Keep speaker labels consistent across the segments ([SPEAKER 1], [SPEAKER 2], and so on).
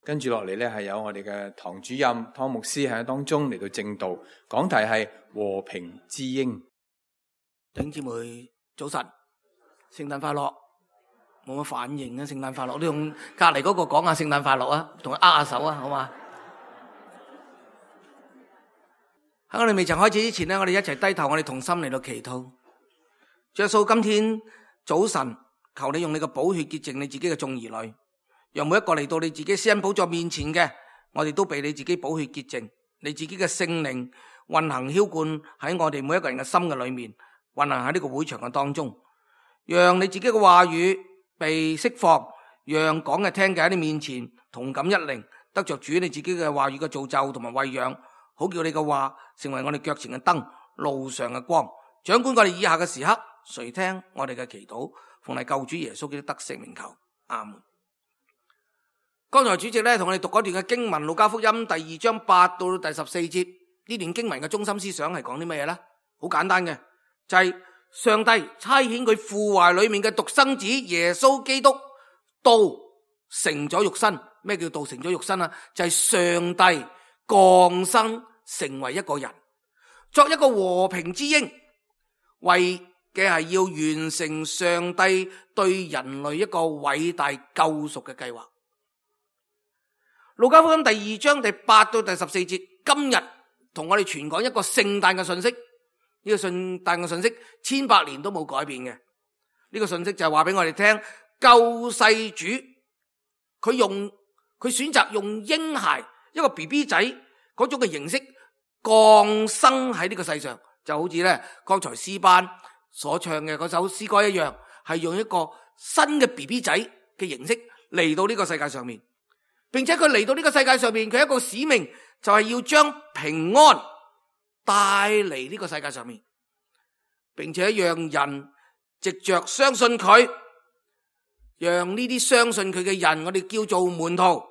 [SPEAKER 1] 跟住落嚟咧，係有我哋嘅堂主任湯牧師喺當中嚟到證道，講題係和平之鷹。
[SPEAKER 2] 弟兄姊妹早晨，聖誕快樂。冇乜反應啊！聖誕快樂，你同隔籬嗰個講下聖誕快樂啊，同佢握下手啊，好嘛？喺我哋未曾開始之前呢，我哋一齊低頭，我哋同心嚟到祈禱。主耶穌，今天早晨，求你用你嘅寶血潔淨你自己嘅眾兒女，讓每一個嚟到你自己施恩寶座面前嘅，我哋都被你自己寶血潔淨，你自己嘅聖靈運行澆灌喺我哋每一個人嘅心嘅裏面，運行喺呢個會場嘅當中，讓你自己嘅話語被釋放，讓講嘅聽嘅喺你面前同感一靈，得着主你自己嘅話語嘅造就同埋餵養，好叫你嘅話成為我哋腳前嘅燈，路上嘅光，掌管我哋以下嘅時刻，垂聽我哋嘅祈禱，奉你救主耶穌基督得勝名求，阿門。剛才主席咧同我哋讀嗰段嘅經文，路加福音第2章8到第14節，呢段經文嘅中心思想係講啲乜嘢咧？好簡單嘅，就係上帝差遣佢父懷裏面嘅獨生子耶穌基督道成咗肉身。咩叫道成咗肉身啊？就係上帝降生成為一個人，作一個和平之鷹，為嘅係要完成上帝對人類一個偉大救贖嘅計劃。路加福音第2章第8到第14節，今日同我哋傳講一個聖誕嘅信息。呢個聖誕嘅信息1,800年都冇改變嘅。呢個信息就係話俾我哋聽，救世主佢選擇用嬰孩一個 BB 仔嗰種嘅形式降生喺呢個世上，就好似咧剛才詩班所唱嘅嗰首詩歌一樣，係用一個新嘅 BB 仔嘅形式嚟到呢個世界上面，並且佢嚟到呢個世界上面，佢一個使命就係要將平安帶嚟呢個世界上面，並且讓人藉着相信佢，讓呢啲相信佢嘅人，我哋叫做門徒，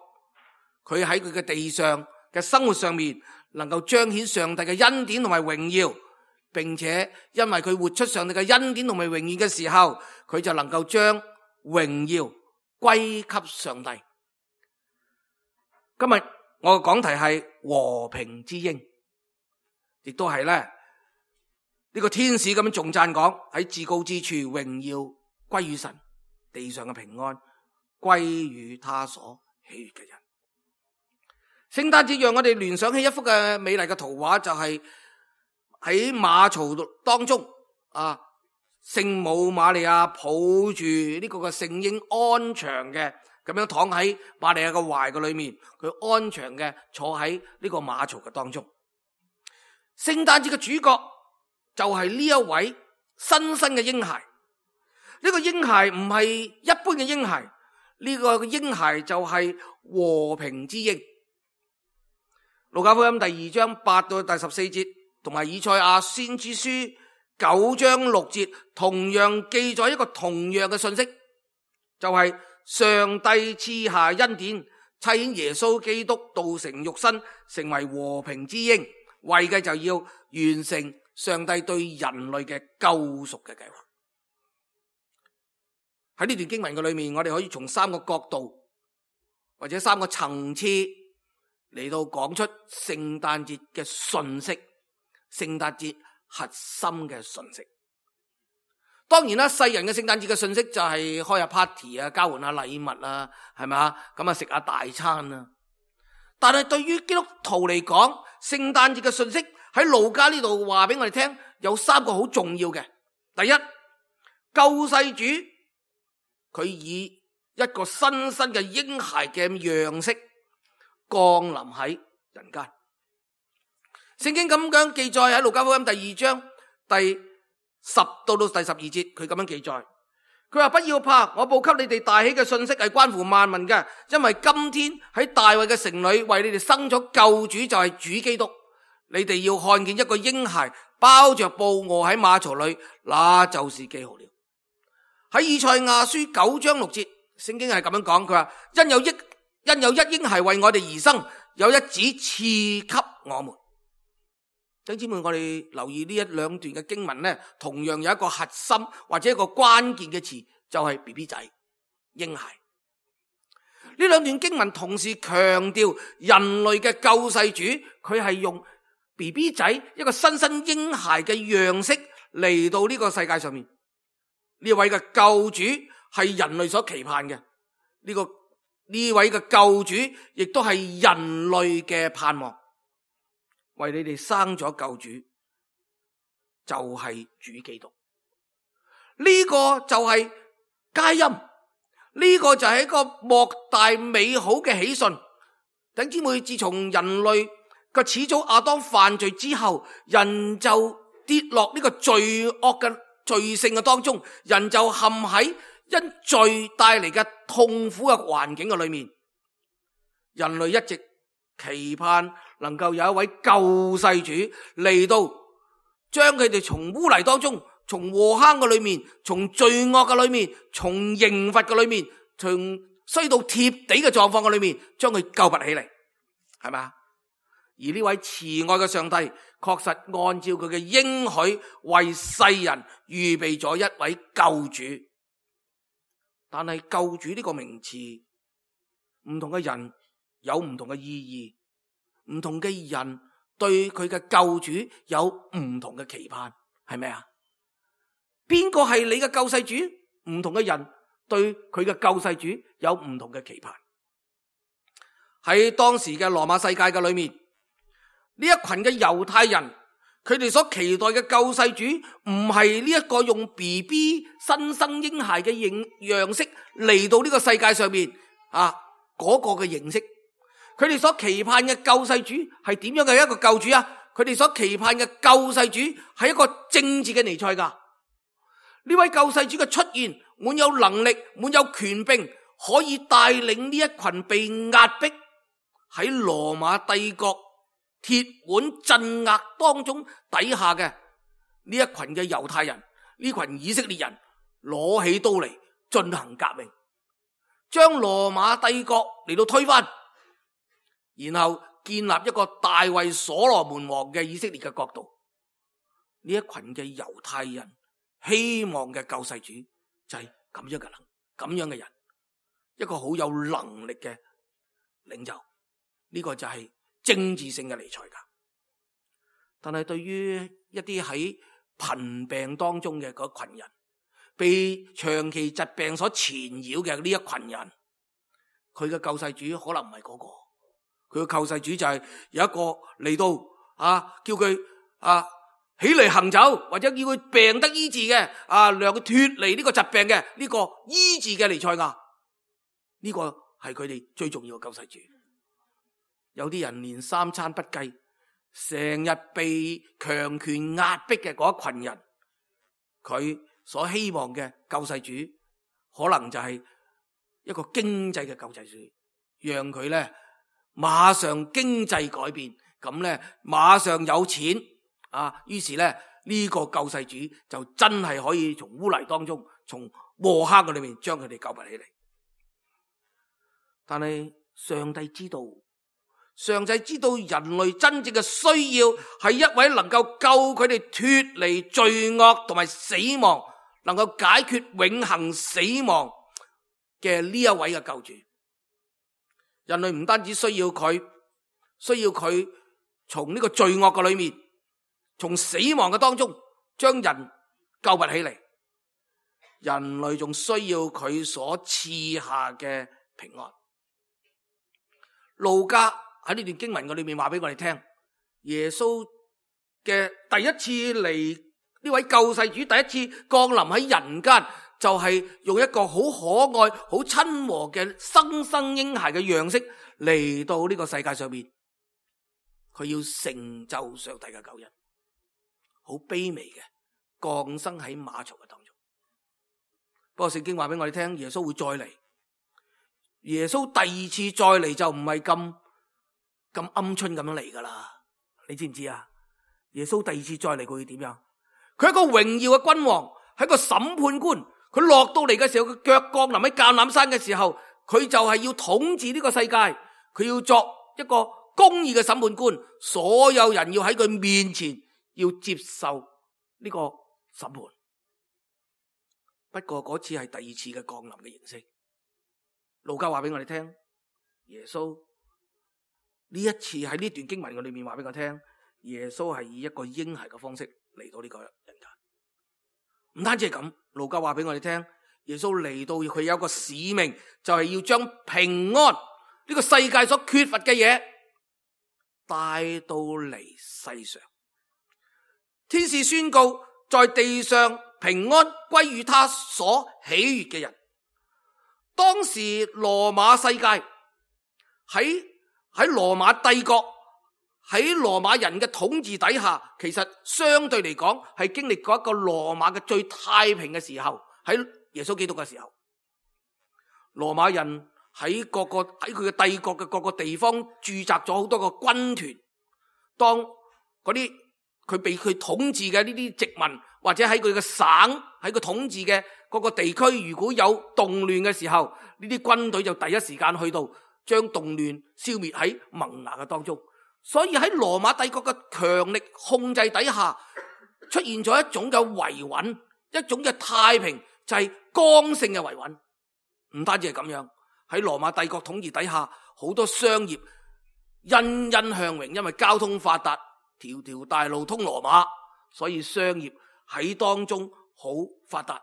[SPEAKER 2] 佢喺佢嘅地上嘅生活上面能夠彰顯上帝嘅恩典同埋榮耀，並且因為佢活出上帝嘅恩典同埋榮耀嘅時候，佢就能夠將榮耀歸給上帝。今日我嘅講題係和平之鷹，亦都係咧呢個天使咁樣頌讚講，喺至高之處榮耀歸於神，地上嘅平安歸於他所喜悅嘅人。聖誕節讓我哋聯想起一幅嘅美麗嘅圖畫，就係喺馬槽當中啊，聖母瑪利亞抱住呢個嘅聖嬰安詳嘅咁樣躺喺瑪利亞嘅懷嘅裏面，佢安詳嘅坐喺呢個馬槽嘅當中。聖誕節嘅主角就係呢一位新生嘅嬰孩。呢個嬰孩唔係一般嘅嬰孩，呢個嬰孩就係和平之鷹。路加福音第2章8到第14節，同埋以賽亞先知書9章6節，同樣記載一個同樣嘅信息，就係上帝賜下恩典，差遣耶穌基督道成肉身，成為和平之鷹，為嘅就要完成上帝對人類嘅救贖嘅計劃。喺呢段經文嘅裏面，我哋可以從3個角度或者3個層次嚟到講出聖誕節嘅信息，聖誕節核心嘅信息。當然啦，世人嘅聖誕節嘅信息就係開下 party 啊，交換下禮物啊，係咪啊？咁啊食下大餐啊。但係對於基督徒嚟講，聖誕節嘅信息喺路加呢度話俾我哋聽，有3個好重要嘅。第一，救世主佢以一個新生嘅嬰孩嘅樣式降臨喺人間。聖經咁樣記載喺路加福音第2章第10到第12節，佢咁樣記載，佢話：不要怕，我報給你哋大喜嘅信息係關乎萬民嘅，因為今天喺大衛嘅城裏為你哋生咗救主，就係主基督。你哋要看見一個嬰孩包着布臥喺馬槽裏，那就是記號了。喺以賽亞書9章6節，聖經係咁樣講，佢話：因有一嬰孩為我哋而生，有一子賜給我們。弟兄姊妹，我哋留意呢1-2段嘅經文呢，同樣有一個核心或者一個關鍵嘅詞，就係 BB 仔嬰孩。呢兩段經文同時強調人類嘅救世主，佢係用 BB 仔一個新生嬰孩嘅樣式嚟到呢個世界上面。呢位嘅救主係人類所期盼嘅，呢位嘅救主亦都係人類嘅盼望，為你哋生咗救主，就係主基督。呢個就係佳音，呢個就係一個莫大美好嘅喜訊。弟兄姊妹，自從人類嘅始祖亞當犯罪之後，人就跌落呢個罪惡嘅罪性嘅當中，人就陷喺因罪帶嚟嘅痛苦嘅環境嘅裏面。人類一直期盼能夠有一位救世主嚟到，將佢哋從污泥當中，從禍坑嘅裏面，從罪惡嘅裏面，從刑罰嘅裏面，從衰到貼地嘅狀況嘅裏面，將佢救拔起嚟，係咪？而呢位慈愛嘅上帝確實按照佢嘅應許為世人預備咗一位救主。但係救主呢個名詞，唔同嘅人有唔同嘅意義，唔同嘅人對佢嘅救主有唔同嘅期盼，係咪啊？邊個係你嘅救世主？唔同嘅人對佢嘅救世主有唔同嘅期盼。喺當時嘅羅馬世界嘅裏面，呢一群嘅猶太人，佢哋所期待嘅救世主唔係呢一個用 BB 新生嬰孩嘅樣式嚟到呢個世界上面嗰個嘅形式。佢哋所期盼嘅救世主係點樣嘅一個救主啊？佢哋所期盼嘅救世主係一個政治嘅彌賽亞。呢位救世主嘅出現，滿有能力，滿有權柄，可以帶領呢一群被壓迫喺羅馬帝國鐵腕鎮壓當中底下嘅呢一群嘅猶太人，呢群以色列人攞起刀嚟進行革命，將羅馬帝國嚟到推翻，然後建立一個大衛所羅門王嘅以色列嘅國度。呢一群嘅猶太人希望嘅救世主就係咁樣嘅人，一個好有能力嘅領袖。呢個就係政治性嘅彌賽亞。但係對於一啲喺貧病當中嘅嗰群人，被長期疾病所纏繞嘅呢一群人，佢嘅救世主可能唔係嗰個，佢嘅救世主就係有一個嚟到叫佢起嚟行走，或者叫佢病得醫治嘅讓佢脫離呢個疾病嘅呢個醫治嘅彌賽亞。呢個係佢哋最重要嘅救世主。有啲人連三餐不繼，成日被強權壓迫嘅嗰一群人，佢所希望嘅救世主可能就係一個經濟嘅救世主，讓佢咧馬上經濟改變，咁咧馬上有錢於是咧呢個救世主就真係可以從污泥當中，從禍坑嘅裏面將佢哋救拔起嚟。但係上帝知道人類真正嘅需要係一位能夠救佢哋脫離罪惡同埋死亡，能夠解決永恆死亡嘅呢一位嘅救主。人類唔單止需要佢從呢個罪惡嘅裏面，從死亡嘅當中將人救拔起嚟，人類仲需要佢所賜下嘅平安。路加喺呢段經文嘅裏面話俾我哋聽，耶穌嘅第一次嚟，呢位救世主第一次降臨喺人間，就係用一個好可愛好親和嘅新生嬰孩嘅樣式嚟到呢個世界上面，佢要成就上帝嘅救恩，好卑微嘅降生喺馬槽嘅當中。不過聖經話俾我哋聽，耶穌會再嚟，耶穌第二次再嚟就唔係咁鵪鶉咁樣嚟噶啦，你知唔知啊？耶穌第二次再嚟佢會點樣？佢係一個榮耀嘅君王，係一個審判官。佢落到嚟嘅時候，佢腳降臨喺橄欖山嘅時候，佢就係要統治呢個世界，佢要作一個公義嘅審判官，所有人要喺佢面前要接受呢個審判。不過嗰次係第二次嘅降臨嘅形式。路加話俾我哋聽，耶穌呢一次喺呢段經文嘅裏面話俾我聽，耶穌係以一個嬰孩嘅方式嚟到呢個人間。唔單止係咁，路加話俾我哋聽，耶穌嚟到佢有一個使命，就係要將平安呢個世界所缺乏嘅嘢帶到嚟世上。天使宣告，在地上平安歸於他所喜悅嘅人。當時羅馬世界喺羅馬帝國，喺羅馬人嘅統治底下，其實相對嚟講係經歷過一個羅馬嘅最太平嘅時候。喺耶穌基督嘅時候，羅馬人喺佢嘅帝國嘅各個地方駐紮咗好多個軍團。當嗰啲佢被佢統治嘅呢啲殖民，或者喺佢嘅省，喺佢統治嘅各個地區，如果有動亂嘅時候，呢啲軍隊就第一時間去到將動亂消滅喺萌芽嘅當中。所以喺羅馬帝國嘅強力控制底下，出現咗一種嘅維穩，一種嘅太平，就係剛性嘅維穩。唔單止係咁樣，喺羅馬帝國統治底下，好多商業欣欣向榮，因為交通發達，條條大路通羅馬，所以商業喺當中好發達，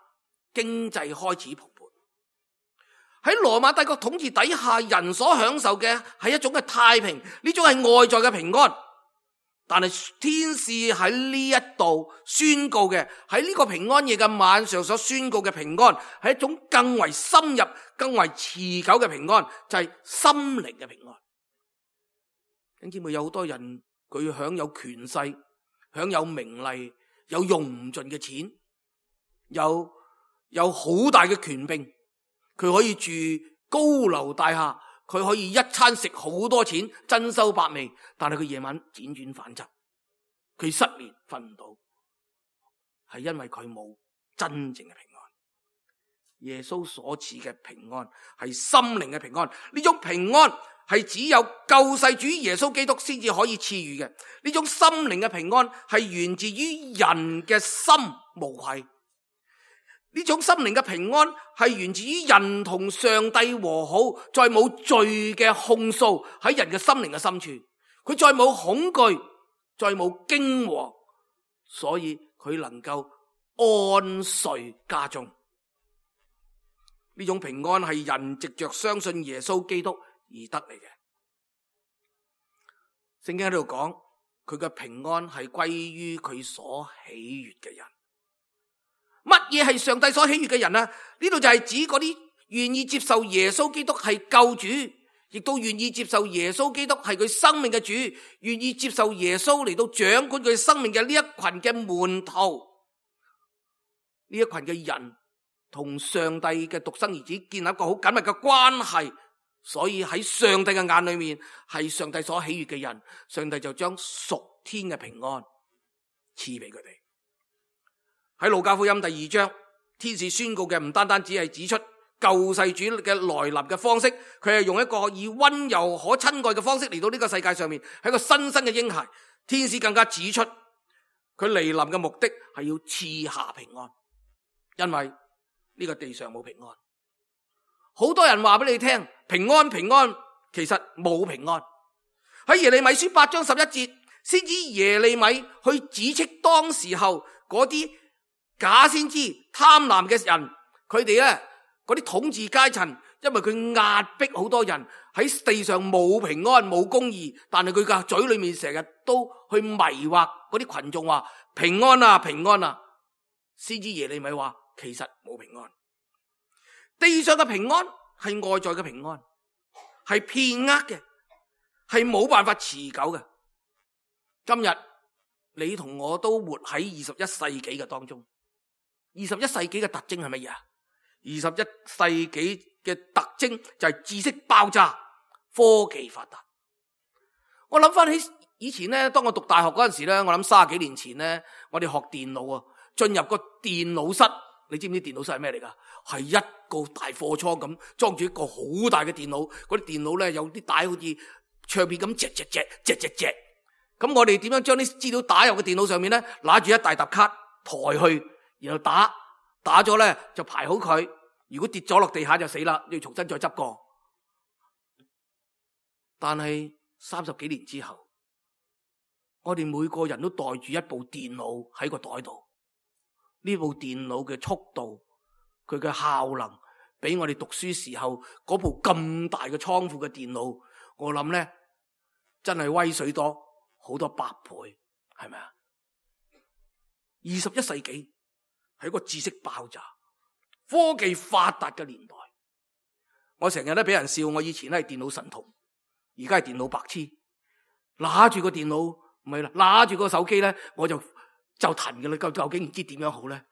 [SPEAKER 2] 經濟開始蓬勃。喺羅馬帝國統治底下，人所享受嘅係一種嘅太平，呢種係外在嘅平安。但係天使喺呢一度宣告嘅，喺呢個平安夜嘅晚上所宣告嘅平安，係一種更為深入、更為持久嘅平安，就係心靈嘅平安。弟兄姊妹，有好多人佢享有權勢，享有名利，有用唔盡嘅錢，有好大嘅權柄，佢可以住高樓大廈，佢可以一餐食好多錢，珍饈百味，但係佢夜晚輾轉反側，佢失眠瞓唔到，係因為佢冇真正嘅平安。耶穌所賜嘅平安係心靈嘅平安，呢種平安係只有救世主耶穌基督先至可以賜予嘅。呢種心靈嘅平安係源自於人嘅心無愧。呢種心靈嘅平安係源自於人同上帝和好，再冇罪嘅控訴喺人嘅心靈嘅深處，佢再冇恐懼，再冇驚惶，所以佢能夠安睡家中。呢種平安係人藉着相信耶穌基督而得嚟嘅。聖經喺度講，佢嘅平安係歸於佢所喜悅嘅人。乜嘢係上帝所喜悅嘅人啊？呢度就係指嗰啲願意接受耶穌基督係救主，亦都願意接受耶穌基督係佢生命嘅主，願意接受耶穌嚟到掌管佢生命嘅呢一群嘅門徒。呢一群嘅人同上帝嘅獨生兒子建立一個好緊密嘅關係，所以喺上帝嘅眼裏面係上帝所喜悅嘅人，上帝就將屬天嘅平安賜俾佢哋。喺路加福音第2章，天使宣告嘅唔單單只係指出救世主嘅來臨嘅方式，佢係用一個以溫柔可親愛嘅方式嚟到呢個世界上面，係一個新生嘅嬰孩。天使更加指出佢嚟臨嘅目的係要賜下平安，因為呢個地上冇平安。好多人話俾你聽平安平安，其實冇平安。喺耶利米書8章11節，先知耶利米去指斥當時候嗰啲假先知貪婪嘅人，佢哋咧嗰啲統治階層，因為佢壓迫好多人喺地上冇平安冇公義，但係佢嘅嘴裏面成日都去迷惑嗰啲群眾話平安啊平安啊。先知耶利米話其實冇平安，地上嘅平安係外在嘅平安，係片刻嘅，係冇辦法持久嘅。今日你同我都活喺21世紀嘅當中。21世紀嘅特徵係乜嘢啊？21世紀嘅特徵就係知識爆炸，科技發達。我諗翻起以前咧，當我讀大學嗰陣時咧，我諗30幾年前咧，我哋學電腦啊，進入個電腦室，你知唔知電腦室係咩嚟噶？係一個大貨倉咁，裝住一個好大嘅電腦，嗰啲電腦咧有啲帶好似唱片咁，隻。咁我哋點樣將啲資料打入個電腦上面咧？拿住一大沓卡抬去。然後打咗咧就排好佢，如果跌咗落地下就死啦，要重新再執過。但係30幾年之後，我哋每個人都帶住一部電腦喺個袋度。呢部電腦嘅速度，佢嘅效能，比我哋讀書時候嗰部咁大嘅倉庫嘅電腦，我諗咧真係威水多好多百倍，係咪啊？21世紀係一個知識爆炸、科技發達嘅年代。我成日都俾人笑，我以前係電腦神童，而家係電腦白痴。拿住個電腦唔係啦，拿住個手機咧，我就騰嘅啦。究竟唔知點樣好咧？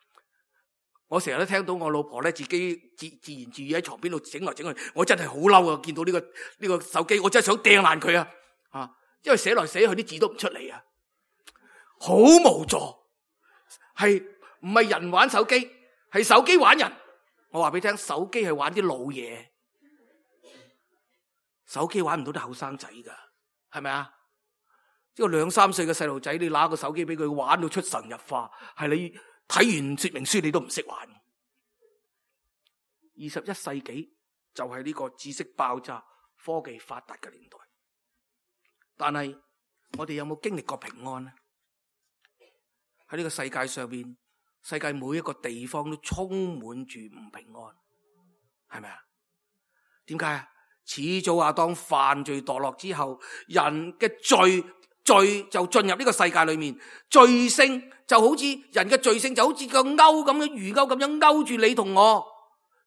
[SPEAKER 2] 我成日都聽到我老婆咧自己自言自語喺床邊度整來整去，我真係好嬲啊！見到呢個手機，我真係想掟爛佢啊！因為寫來寫去啲字都唔出嚟啊，好無助。係唔係人玩手機，係手機玩人。我話俾你聽，手機係玩啲老嘢，手機玩唔到啲後生仔噶，係咪啊？即係2、3歲嘅細路仔，你拿個手機俾佢玩到出神入化，係你睇完說明書你都唔識玩。21世紀就係呢個知識爆炸、科技發達嘅年代。但係我哋有冇經歷過平安呢？喺呢個世界上邊，世界每一個地方都充滿住唔平安，係咪啊？點解啊？始祖亞當犯罪墮落之後，人嘅罪就進入呢個世界裏面，罪性就好似人嘅罪性就好似個鈎咁樣，魚鈎咁樣勾住你同我。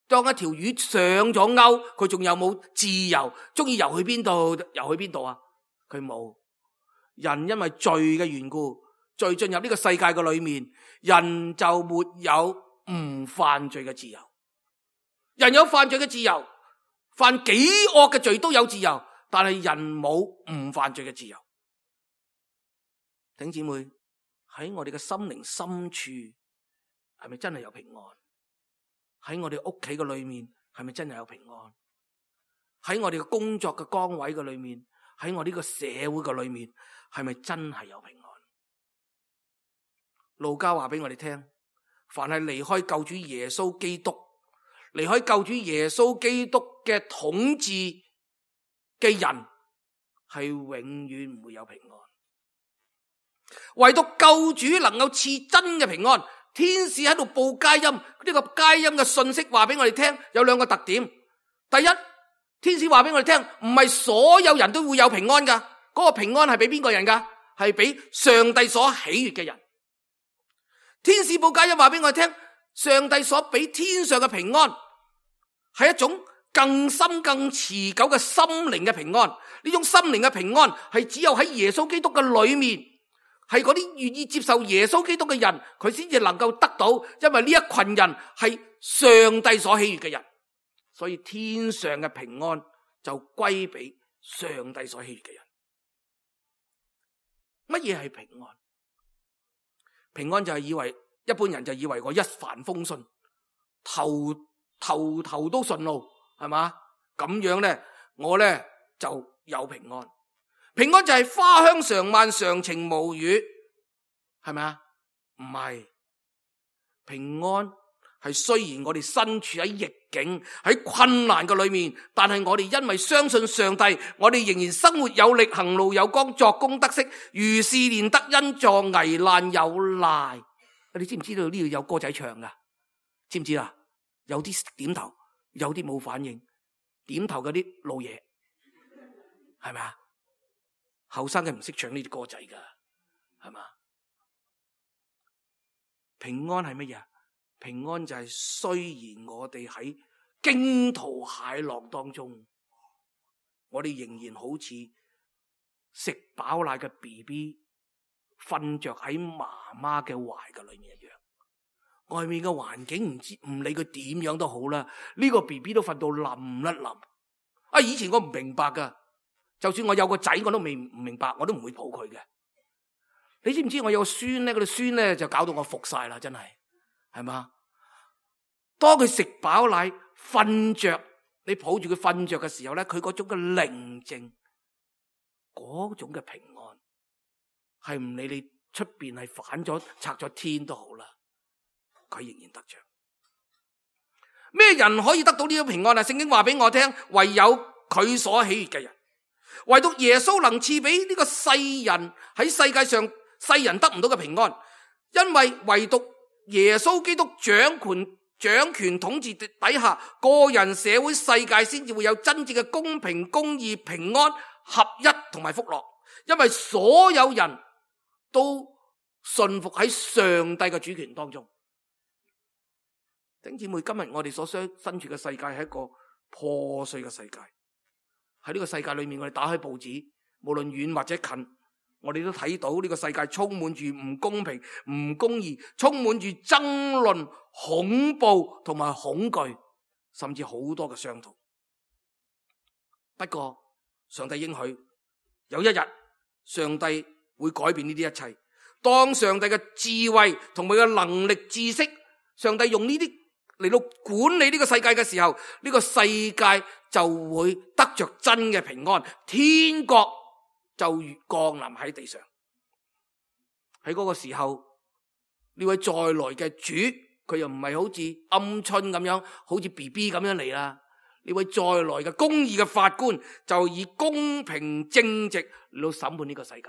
[SPEAKER 2] 當一條魚上咗鈎，佢仲有冇自由？中意游去邊度游去邊度啊？佢冇。人因為罪嘅緣故，罪進入呢個世界嘅裏面，人就沒有唔犯罪嘅自由。人有犯罪嘅自由，犯幾惡嘅罪都有自由，但係人冇唔犯罪嘅自由。弟兄姊妹，喺我哋嘅心靈深處，係咪真係有平安？喺我哋屋企嘅裏面，係咪真係有平安？喺我哋嘅工作嘅崗位嘅裏面，喺我呢個社會嘅裏面，係咪真係有平安？路加話俾我哋聽，凡係離開救主耶穌基督，離開救主耶穌基督嘅統治嘅人，係永遠唔會有平安。唯獨救主能夠賜真嘅平安。天使喺度報佳音，呢個佳音嘅信息話俾我哋聽，有2個特點。第一，天使話俾我哋聽，唔係所有人都會有平安噶，嗰個平安係俾邊個人噶？係俾上帝所喜悅嘅人。天使報佳音話俾我哋聽，上帝所俾天上嘅平安係一種更深更持久嘅心靈嘅平安。呢種心靈嘅平安係只有喺耶穌基督嘅裏面，係嗰啲願意接受耶穌基督嘅人，佢先至能夠得到，因為呢一群人係上帝所喜悅嘅人，所以天上嘅平安就歸俾上帝所喜悅嘅人。乜嘢係平安？平安就係以為一般人就以為我一帆風順，頭都順路，係嘛？咁樣咧，我咧就有平安。平安就係花香常漫，常情無虞，係咪啊？唔係，平安係雖然我哋身處喺逆境、喺困難嘅裏面，但係我哋因為相信上帝，我哋仍然生活有力，行路有光，作工得息，如是連得恩助，危難有賴。你知唔知道呢度有歌仔唱噶？知唔知啦？有啲點頭，有啲冇反應。點頭嗰啲老嘢，係咪啊？後生嘅唔識唱呢啲歌仔噶，係嘛？平安係乜嘢？平安就係雖然我哋喺驚濤駭浪當中，我哋仍然好似食飽奶嘅 BB 瞓着喺媽媽嘅懷嘅裏面一樣。外面嘅環境唔理佢點樣都好啦，呢個 BB 都瞓到冧一冧。以前我唔明白噶。就算我有個仔，我都唔明白，我都唔會抱佢嘅。你知唔知我有個孫咧？嗰啲孫咧就搞到我服晒啦，真係，係嘛？當佢食飽奶瞓着，你抱住佢瞓着嘅時候咧，佢嗰種嘅寧靜，嗰種嘅平安，係唔理你出邊係反咗拆咗天都好啦，佢仍然得着。咩人可以得到呢種平安啊？聖經話俾我聽，唯有佢所喜悅嘅人。唯獨耶穌能賜俾呢個世人喺世界上世人得唔到嘅平安，因為唯獨耶穌基督掌權統治底下，個人、社會、世界先至會有真正嘅公平、公義、平安、合一同埋福樂。因為所有人都順服喺上帝嘅主權當中。弟兄姊妹，今日我哋所身處嘅世界係一個破碎嘅世界。喺呢個世界裏面，我哋打開報紙，無論遠或者近，我哋都睇到呢個世界充滿住唔公平、唔公義，充滿住爭論、恐怖同埋恐懼，甚至好多嘅傷痛。不過上帝應許有一日，上帝會改變呢啲一切。當上帝嘅智慧同埋嘅能力、知識，上帝用呢啲嚟到管理呢個世界嘅時候，呢個世界就會得着真嘅平安，天國就降臨喺地上。喺嗰個時候，呢位再來嘅主，佢又唔係好似鵪鶉咁樣，好似 BB 咁樣嚟啦。呢位再來嘅公義嘅法官，就以公平正直嚟到審判呢個世界。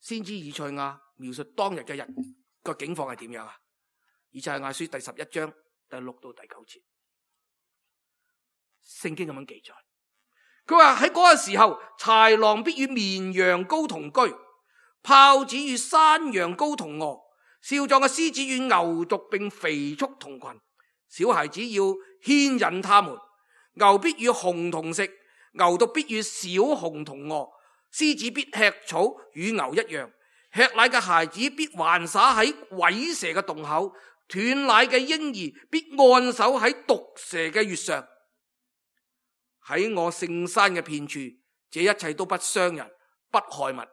[SPEAKER 2] 先知以賽亞描述當日嘅人個境況係點樣啊？以賽亞書第11章第6到第9節，聖經咁樣記載。佢話喺嗰個時候，豺狼必與綿羊羔同居，豹子與山羊羔同臥，少壯嘅獅子與牛犢並肥畜同群。小孩子要牽引他們，牛必與熊同食，牛犢必與小熊同臥。獅子必吃草，與牛一樣。吃奶嘅孩子必玩耍喺虺蛇嘅洞口，斷奶嘅嬰兒必按手喺毒蛇嘅穴上。喺我聖山嘅遍處，這一切都不傷人，不害物，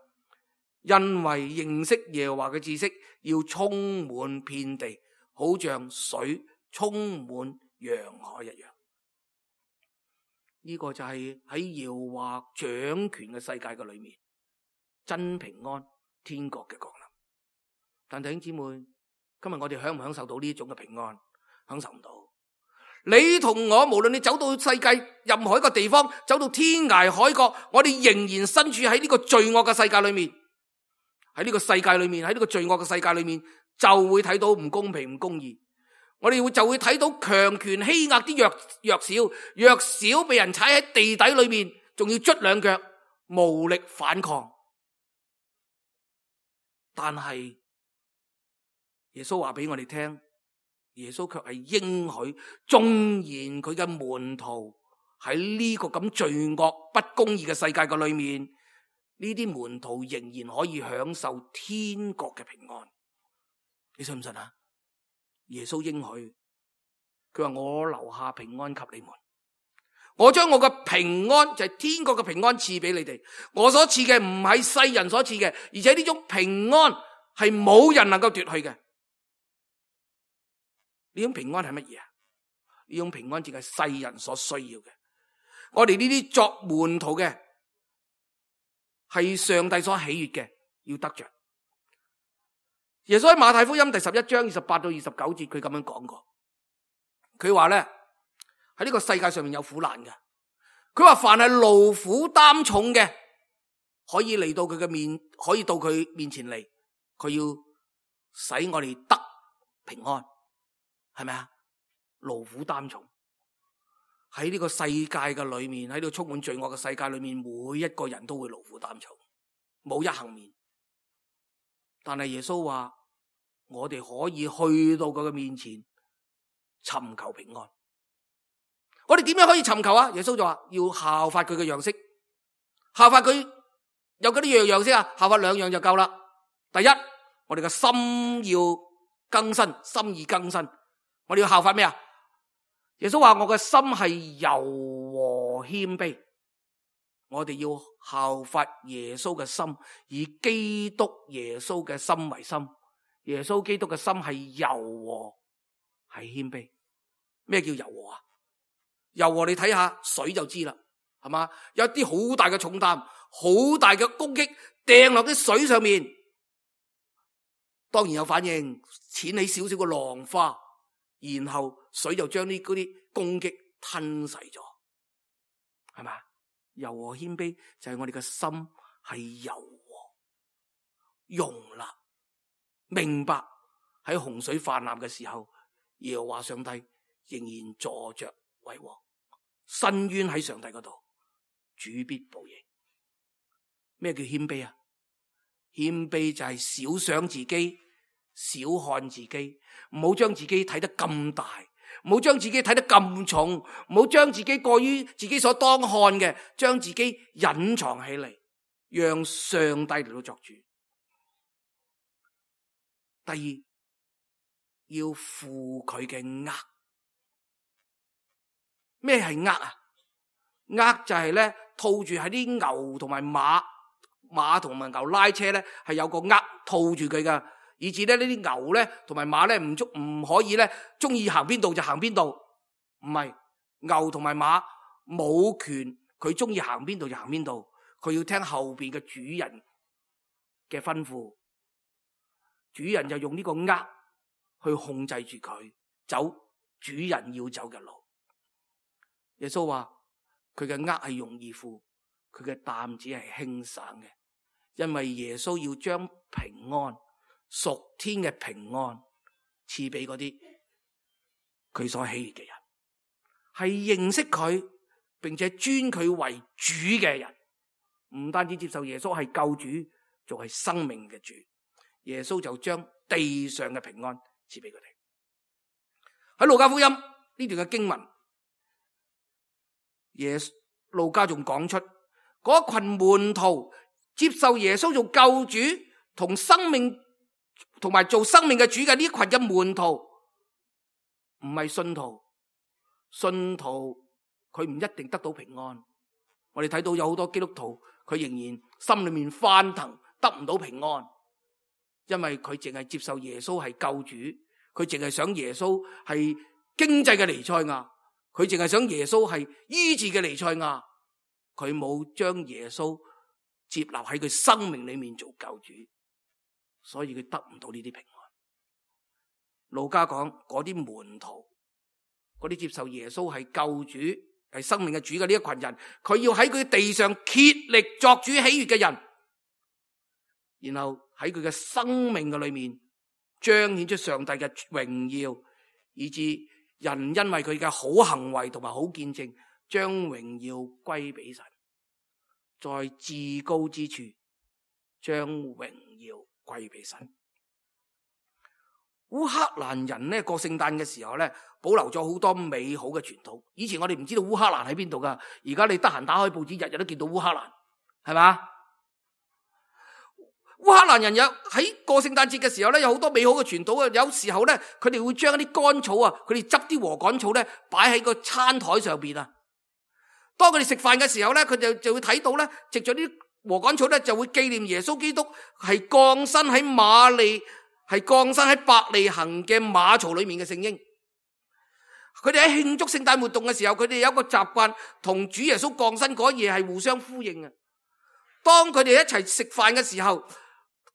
[SPEAKER 2] 因為認識耶和華嘅知識要充滿遍地，好像水充滿洋海一樣。呢個就係喺耶和華掌權嘅世界嘅裏面，真平安天國嘅降臨。但弟兄姊妹，今日我哋享唔享受到呢種嘅平安？享受唔到。你同我，無論你走到世界任何一個地方，走到天涯海角，我哋仍然身處喺呢個罪惡嘅世界裏面。喺呢個世界裏面，喺呢個罪惡嘅世界裏面，就會睇到唔公平、唔公義。我哋就會睇到強權欺壓啲弱小被人踩喺地底裏面，仲要捽兩腳，無力反抗。但係耶穌話俾我哋聽，耶穌卻係應許，縱然佢嘅門徒喺呢個咁罪惡不公義嘅世界嘅裏面，呢啲門徒仍然可以享受天國嘅平安。你信唔信啊？耶穌應許，佢話我留下平安給你們，我將我嘅平安，就係天國嘅平安賜俾你哋。我所賜嘅唔係世人所賜嘅，而且呢種平安係冇人能夠奪去嘅。呢種平安係乜嘢啊？呢種平安淨係世人所需要嘅。我哋呢啲作門徒嘅，係上帝所喜悅嘅，要得着。耶穌喺馬太福音第11章28到29節，佢咁樣講過。佢話咧，喺呢個世界上面有苦難嘅。佢話凡係勞苦擔重嘅，可以嚟到佢嘅面，可以到佢面前嚟，佢要使我哋得平安，係咪啊？勞苦擔重喺呢個世界嘅裏面，喺呢個充滿罪惡嘅世界裏面，每一個人都會勞苦擔重，冇一幸免。但係耶穌話，我哋可以去到佢嘅面前尋求平安。我哋點樣可以尋求啊？耶穌就話要效法佢嘅樣式，效法佢有嗰啲樣式啊，效法兩樣就夠啦。第一，我哋嘅心要更新，心意更新。我哋要效法咩啊？耶穌話我嘅心係柔和謙卑。我哋要效法耶穌嘅心，以基督耶穌嘅心為心。耶穌基督嘅心係柔和，係謙卑。咩叫柔和啊？柔和你睇下水就知啦，係嘛？有啲好大嘅重擔，好大嘅攻擊掟落啲水上面，當然有反應，濺起少少嘅浪花，然後水就將嗰啲攻擊吞噬咗，係嘛？柔和謙卑就係我哋嘅心係柔和、容納、明白喺洪水泛濫嘅時候，耶和華上帝仍然坐着為王，伸冤喺上帝嗰度，主必報應。咩叫謙卑啊？謙卑就係少想自己，少看自己，唔好將自己睇得咁大，唔好將自己睇得咁重，唔好將自己過於自己所當看嘅，將自己隱藏起嚟，讓上帝嚟到作主。第二，要負佢嘅軛。咩係軛啊？軛就係咧套住喺啲牛同埋馬同埋牛拉車咧，係有個軛套住佢噶，以至咧呢啲牛咧同埋馬咧唔可以咧中意行邊度就行邊度。唔係，牛同埋馬冇權，佢中意行邊度就行邊度，佢要聽後邊嘅主人嘅吩咐。主人就用呢個軛去控制住佢走主人要走嘅路。耶穌話佢嘅軛係容易負，佢嘅擔子係輕省嘅，因為耶穌要將平安，屬天嘅平安賜俾嗰啲佢所喜悅嘅人，係認識佢並且尊佢為主嘅人，唔單止接受耶穌係救主，仲係生命嘅主。耶穌就將地上嘅平安賜俾佢哋。喺路加福音呢段嘅經文，路加仲講出嗰群門徒接受耶穌做救主同生命同埋做生命嘅主嘅呢群嘅門徒，唔係信徒。信徒佢唔一定得到平安。我哋睇到有好多基督徒，佢仍然心裏面翻騰，得唔到平安，因為佢淨係接受耶穌係救主，佢淨係想耶穌係經濟嘅彌賽亞，佢淨係想耶穌係醫治嘅彌賽亞，佢冇將耶穌接納喺佢生命裏面做救主，所以佢得唔到呢啲平安。路加講嗰啲門徒，嗰啲接受耶穌係救主係生命嘅主嘅呢一群人，佢要喺佢地上竭力作主喜悅嘅人，然後喺佢嘅生命嘅裏面彰顯出上帝嘅榮耀，以致人因為佢嘅好行為同埋好見證，將榮耀歸俾神，在至高之處將榮耀歸俾神。烏克蘭人呢過聖誕嘅時候呢，保留咗好多美好嘅傳統。以前我哋唔知道烏克蘭喺邊度噶，而家你得閒打開報紙，日日都見到烏克蘭，係嘛？烏克蘭人有喺過聖誕節嘅時候咧，有好多美好嘅傳統啊！有時候咧，佢哋會將一啲乾草啊，佢哋執啲禾稈草咧，擺喺個餐台上邊啊。當佢哋食飯嘅時候咧，佢哋就會睇到咧，藉咗啲禾稈草咧，就會紀念耶穌基督係降生喺伯利恆嘅馬槽裏面嘅聖嬰。佢哋喺慶祝聖誕活動嘅時候，佢哋有一個習慣，同主耶穌降生嗰夜係互相呼應啊。當佢哋一齊食飯嘅時候，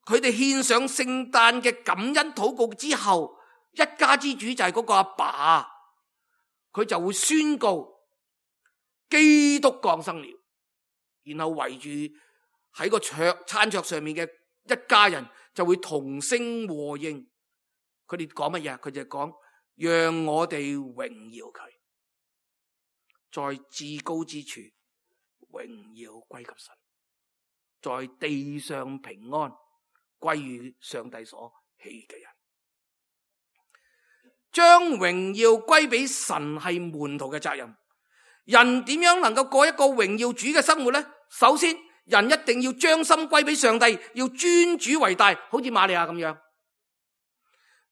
[SPEAKER 2] 佢哋獻上聖誕嘅感恩禱告之後，一家之主就係嗰個阿爸，佢就會宣告基督降生了，然後圍住喺個餐桌上面嘅一家人就會同聲和應。佢哋講乜嘢？佢就講讓我哋榮耀佢，在至高之處榮耀歸給神，在地上平安歸於上帝所喜悅嘅人。將榮耀歸俾神係門徒嘅責任。人點樣能夠過一個榮耀主嘅生活呢？首先，人一定要將心歸俾上帝，要尊主為大，好似瑪利亞咁樣。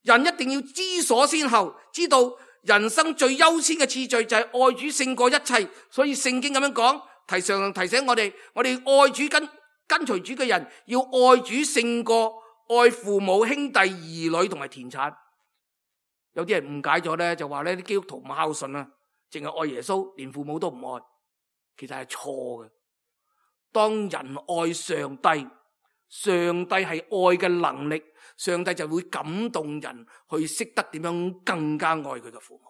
[SPEAKER 2] 人一定要知所先後，知道人生最優先嘅次序就係愛主勝過一切。所以聖經咁樣講，提醒我哋愛主跟隨主嘅人要愛主勝過愛父母兄弟兒女同埋田產。有啲人誤解咗咧，就話咧啲基督徒唔孝順啊，淨係愛耶穌，連父母都唔愛，其實係錯嘅。當人愛上帝，上帝係愛嘅能力，上帝就會感動人去識得點樣更加愛佢嘅父母。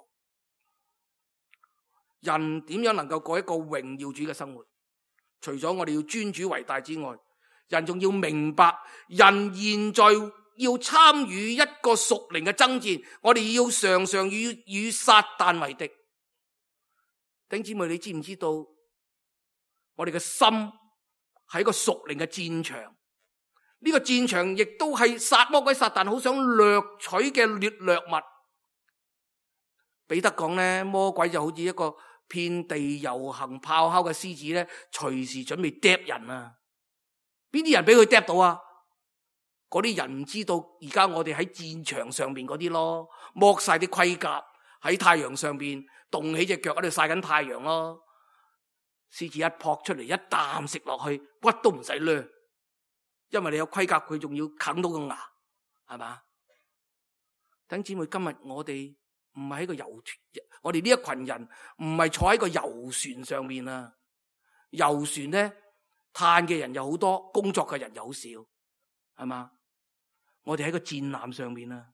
[SPEAKER 2] 人點樣能夠過一個榮耀主嘅生活？除咗我哋要尊主為大之外，人仲要明白，人現在要參與一個屬靈嘅爭戰，我哋要常常與撒旦為敵。弟兄姊妹，你知唔知道我哋嘅心係一個屬靈嘅戰場？呢個戰場亦都係魔鬼撒旦好想掠取嘅掠物。彼得講咧，魔鬼就好似一個遍地遊行咆哮嘅獅子咧，隨時準備啄人啊！邊啲人俾佢啄到啊？嗰啲人唔知道而家我哋喺戰場上邊嗰啲咯，剝晒啲盔甲喺太陽上邊，動起隻腳喺度曬緊太陽咯。獅子一撲出嚟，一啖食落去，骨都唔使掠，因為你有盔甲，佢仲要啃到個牙，係嘛？弟兄姊妹，今日我哋唔係喺個遊船，我哋呢一群人唔係坐喺個遊船上面啊！遊船咧，嘆嘅人又好多，工作嘅人又好少，係嘛？我哋喺個戰艦上面啊！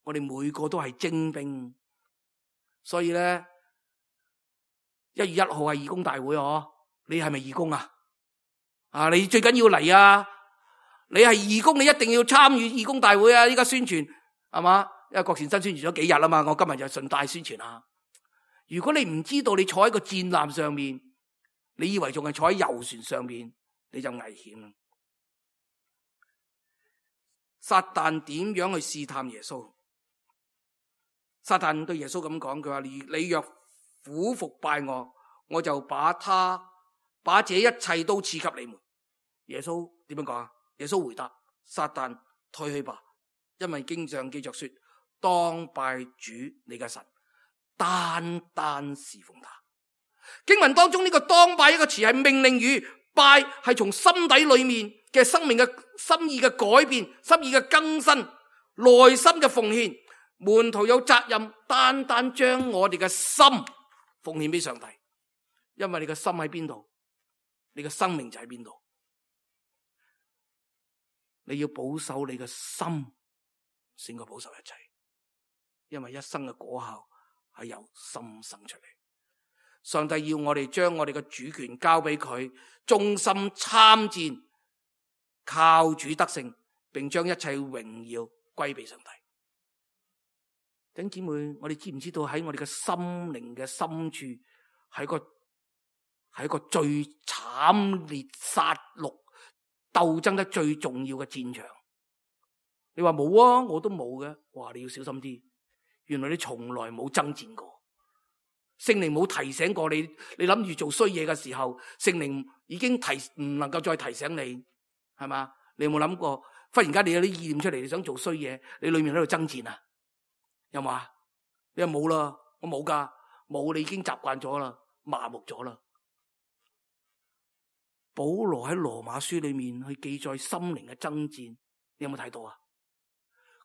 [SPEAKER 2] 我哋每個都係精兵，所以咧1月1號係義工大會哦，你係咪義工啊？啊，你最緊要嚟啊！你係義工，你一定要參與義工大會啊！依家宣傳係嘛？因為郭善珍宣傳咗幾日啦嘛，我今日就順帶宣傳下。如果你唔知道你坐喺個戰艦上面，你以為仲係坐喺遊船上面，你就危險啦。撒旦點樣去試探耶穌？撒旦對耶穌咁講，佢話你若俯伏拜我，我就把這一切都賜給你們。耶穌點樣講啊？耶穌回答：撒旦退去吧，因為經上記着說，當拜主你嘅神，單單侍奉他。經文當中呢個當拜一個詞係命令語，拜係從心底裏面嘅生命嘅心意嘅改變，心意嘅更新，內心嘅奉獻。門徒有責任單單將我哋嘅心奉獻俾上帝，因為你嘅心喺邊度，你嘅生命就喺邊度。你要保守你嘅心，先可保守一切，因為一生嘅果效係由心生出嚟。上帝要我哋將我哋嘅主權交俾佢，忠心參戰，靠主得勝，並將一切榮耀歸俾上帝。弟兄姊妹，我哋知唔知道喺我哋嘅心靈嘅深處，係一個最慘烈殺戮鬥爭得最重要嘅戰場？你話冇啊，我都冇嘅。哇，你要小心啲，原來你從來冇爭戰過。聖靈冇提醒過你，你諗住做衰嘢嘅時候，聖靈已經唔能夠再提醒你，係嘛？你有冇諗過，忽然間你有啲意念出嚟，你想做衰嘢，你裏面喺度爭戰啊？有冇啊？你話冇啦，我冇噶，冇，你已經習慣咗啦，麻木咗啦。保羅喺羅馬書裏面去記載心靈嘅爭戰，你有冇睇到啊？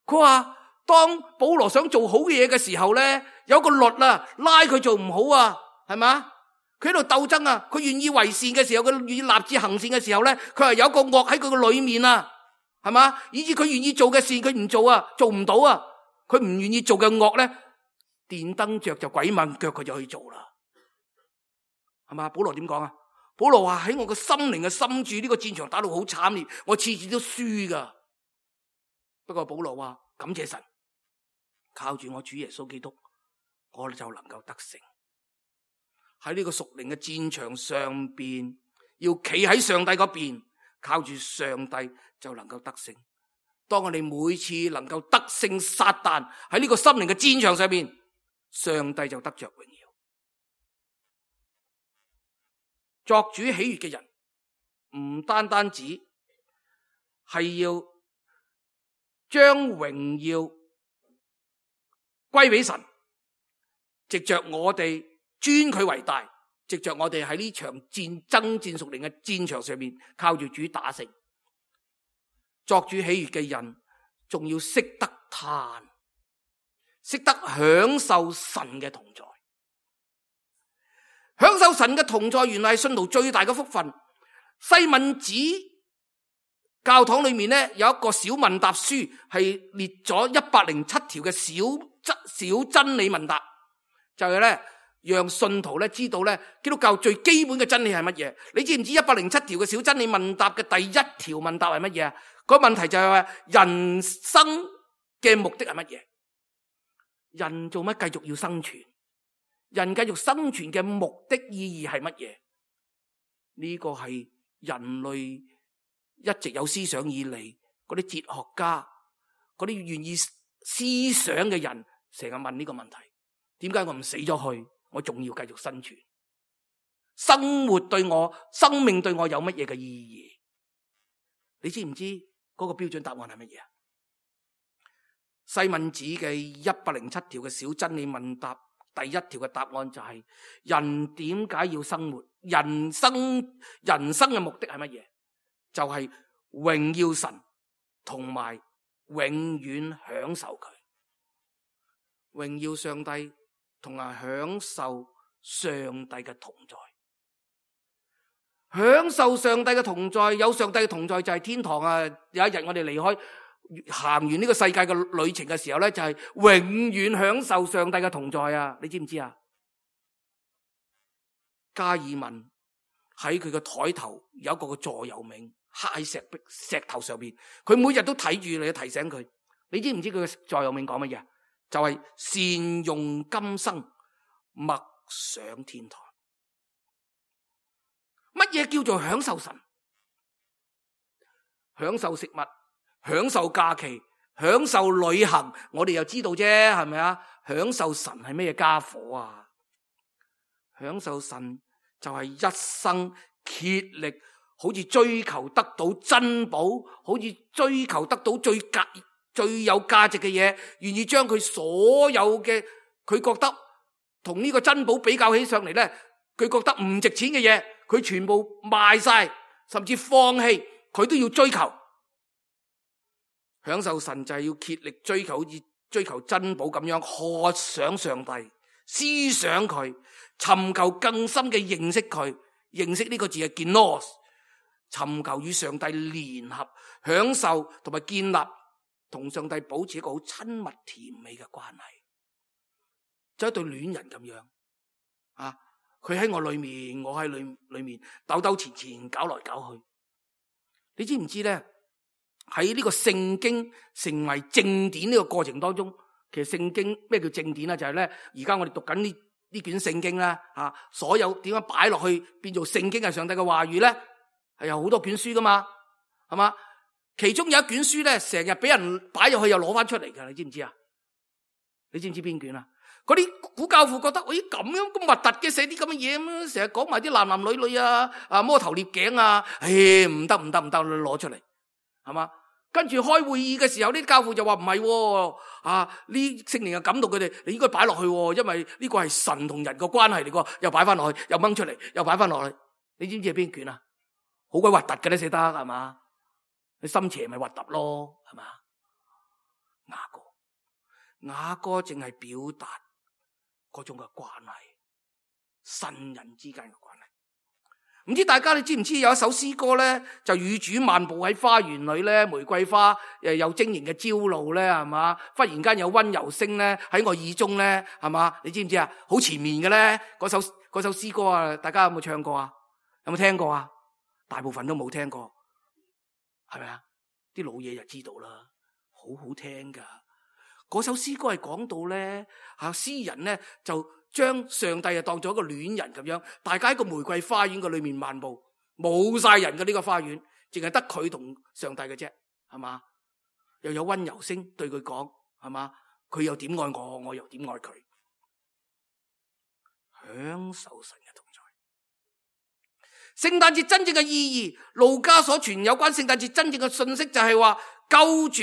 [SPEAKER 2] 佢話當保羅想做好嘅嘢嘅時候咧，有個律啊拉佢做唔好啊，係嘛？佢喺度鬥爭啊，佢願意為善嘅時候，佢願意立志行善嘅時候咧，佢係有個惡喺佢個裏面啊，係嘛？以致佢願意做嘅善佢唔做啊，做唔到啊。佢唔願意做嘅惡咧，電燈着就鬼掹腳，佢就去做啦，係嘛？保羅點講啊？保羅話喺我個心靈嘅深處，呢個戰場打到好慘烈，我次次都輸噶。不過保羅話感謝神，靠住我主耶穌基督，我就能夠得勝。喺呢個屬靈嘅戰場上邊，要企喺上帝嗰邊，靠住上帝就能夠得勝。當我哋每次能夠得勝撒旦喺呢個心靈嘅戰場上面，上帝就得着榮耀。作主喜悅嘅人，唔單單止係要將榮耀歸俾神，藉着我哋尊佢為大，藉着我哋喺呢場爭戰屬靈嘅戰場上面，靠住主打勝。作主喜悅嘅人，仲要識得嘆，識得享受神嘅同在。享受神嘅同在，原來係信徒最大嘅福分。西敏寺教堂裏面咧有一個小問答書，係列咗107條嘅小真理問答，就係咧讓信徒咧知道咧基督教最基本嘅真理係乜嘢？你知唔知107條嘅小真理問答嘅第一條問答係乜嘢啊？個問題就係話人生嘅目的係乜嘢？人做乜繼續要生存？人繼續生存嘅目的意義係乜嘢？呢個係人類一直有思想以嚟，嗰啲哲學家，嗰啲願意思想嘅人，成日問呢個問題：點解我唔死咗去？我仲要繼續生存？生活對我、生命對我有乜嘢嘅意義？你知唔知嗰個標準答案係乜嘢啊？西敏寺嘅107條嘅小真理問答，第一條嘅答案就係：人點解要生活？人生嘅目的係乜嘢？就係榮耀神，同埋永遠享受佢，榮耀上帝，同埋享受上帝嘅同在。享受上帝嘅同在，有上帝嘅同在就係天堂啊！有一日我哋離開行完呢個世界嘅旅程嘅時候咧，就係永遠享受上帝嘅同在啊！你知唔知啊？加爾文喺佢嘅台頭有一個座右銘，刻喺石頭上邊，佢每日都睇住你，提醒佢。你知唔知佢嘅座右銘講乜嘢？就係善用今生，默想天堂。乜嘢叫做享受神？享受食物，享受假期，享受旅行，我哋又知道啫，係咪啊？享受神係咩家伙啊？享受神就係一生竭力，好似追求得到珍寶，好似追求得到最有價值嘅嘢，願意將佢所有嘅佢覺得同呢個珍寶比較起上嚟咧，佢覺得唔值錢嘅嘢，佢全部賣晒，甚至放棄，佢都要追求。享受神就係要竭力追求，好似追求珍寶咁樣，渴想上帝，思想佢，尋求更深嘅認識佢。認識呢個字係genos，尋求與上帝聯合，享受同埋建立同上帝保持一個好親密甜美嘅關係，就一對戀人咁樣啊！佢喺我裏面，我喺裏面，兜兜纏纏，搞來搞去。你知唔知咧？喺呢個聖經成為正典呢個過程當中，其實聖經咩叫正典啊？就係咧，而家我哋讀緊呢卷聖經啦，所有點樣擺落去變做聖經係上帝嘅話語咧，係有好多卷書噶嘛，係嘛？其中有一卷書咧，成日俾人擺入去又攞翻出嚟噶，你知唔知啊？你知唔知邊卷啊？嗰啲古教父覺得，咦，咁樣咁核突嘅，寫啲咁嘅嘢咁，成日講埋啲男女女啊，摸頭獵頸啊，唔得，攞出嚟，係嘛？跟住開會議嘅時候，呢啲教父就話唔係，呢聖靈又感動佢哋，你應該擺落去，因為呢個係神同人個關係嚟個，又擺翻落去，又掹出嚟，又擺翻落去。你知唔知係邊卷啊？好鬼核突嘅咧，寫得係嘛？你心邪咪核突咯，係嘛？雅歌淨係表達嗰種嘅關係，神人之間嘅關係。唔知大家你知唔知有一首詩歌咧，就與主漫步喺花園裏咧，玫瑰花有晶瑩嘅朝露咧，係嘛？忽然間有溫柔聲咧喺我耳中咧，係嘛？你知唔知啊？好前面嘅咧，嗰首詩歌啊，大家有冇唱過啊？有冇聽過啊？大部分都冇聽過，係咪啊？啲老嘢就知道啦，好好聽噶。嗰首詩歌係講到咧，詩人咧就將上帝當做一個戀人咁樣，大家喺個玫瑰花園嘅裏面漫步，冇晒人嘅呢個花園，淨係得佢同上帝嘅啫，係嘛？又有溫柔聲對佢講，係嘛？佢又點愛我，我又點愛佢，享受神嘅同在。聖誕節真正嘅意義，路加所傳有關聖誕節真正嘅信息就係話，救主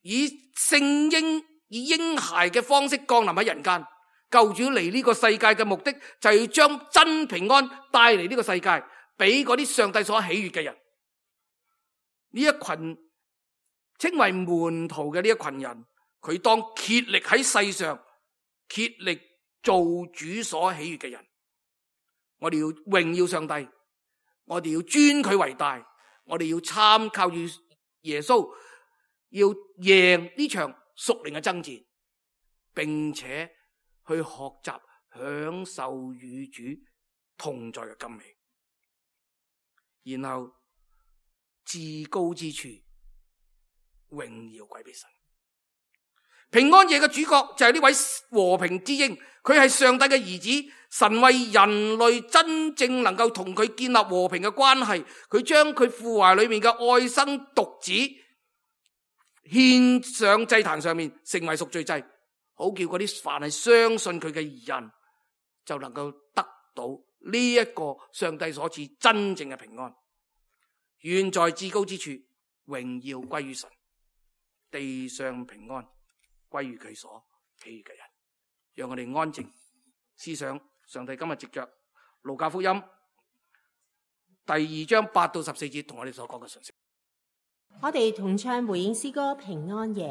[SPEAKER 2] 以聖嬰以嬰孩嘅方式降臨喺人間。救主嚟呢個世界嘅目的就係要將真平安帶嚟呢個世界，俾嗰啲上帝所喜悅嘅人。呢一群稱為門徒嘅呢一群人，佢當竭力喺世上竭力做主所喜悅嘅人。我哋要榮耀上帝，我哋要尊佢為大，我哋要參靠住耶穌，要贏呢場屬靈嘅爭戰，並且去學習享受與主同在嘅甘美，然後至高之處榮耀歸俾神。平安夜嘅主角就係呢位和平之鷹，佢係上帝嘅兒子，神為人類真正能夠同佢建立和平嘅關係，佢將佢父懷裏面嘅愛生獨子獻上祭壇上面，成為贖罪祭，好叫嗰啲凡係相信佢嘅人就能夠得到呢一個上帝所賜真正嘅平安。願在至高之處榮耀歸於神，地上平安歸於佢所喜悅嘅人。讓我哋安靜思想上帝今日藉着路加福音第2章8到14節同我哋所講嘅信息。
[SPEAKER 3] 我哋同唱回應詩歌《平安夜》。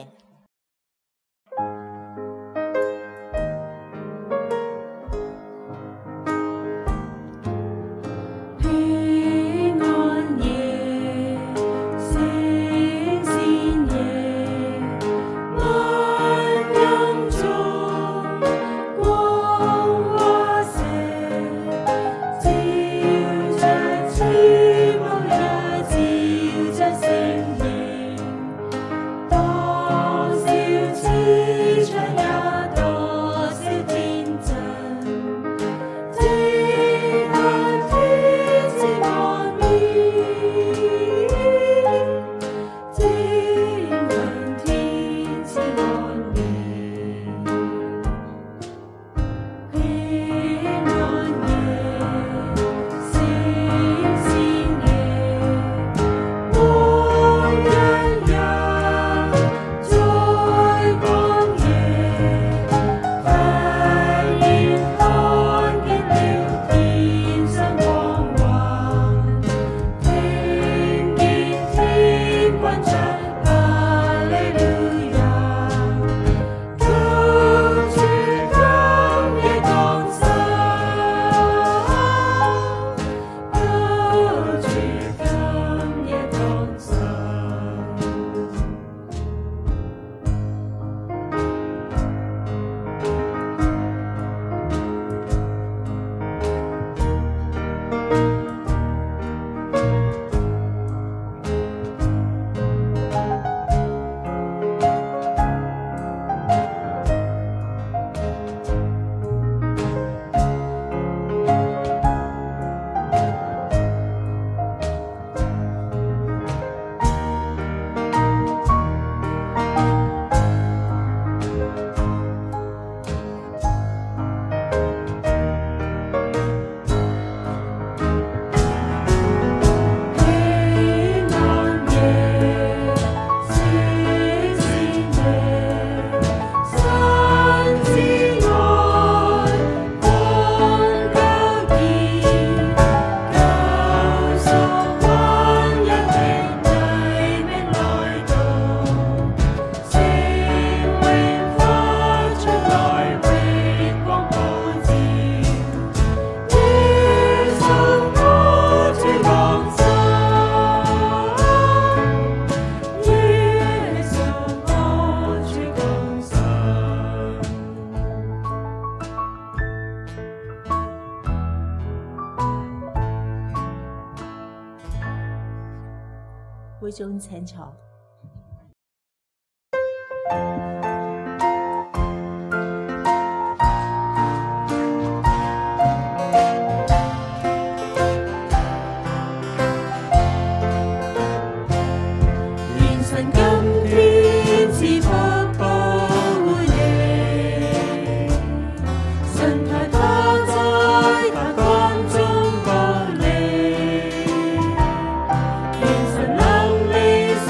[SPEAKER 3] 會眾請坐。
[SPEAKER 4] 願神今天賜福保護你，神抬他在他光中保你，願神能力生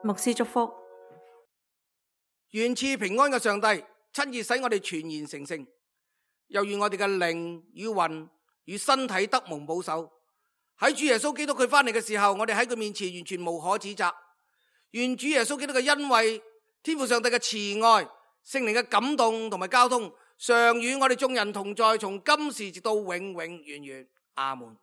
[SPEAKER 5] 牧師祝福。
[SPEAKER 2] 願賜平安嘅上帝親自使我哋全然成聖，又願我哋嘅靈與魂與身體得蒙保守。喺主耶穌基督佢翻嚟嘅時候，我哋喺佢面前完全無可指責。願主耶穌基督嘅恩惠、天父上帝嘅慈愛、聖靈嘅感動同埋交通，常與我哋眾人同在，從今時直到永永遠遠。阿門。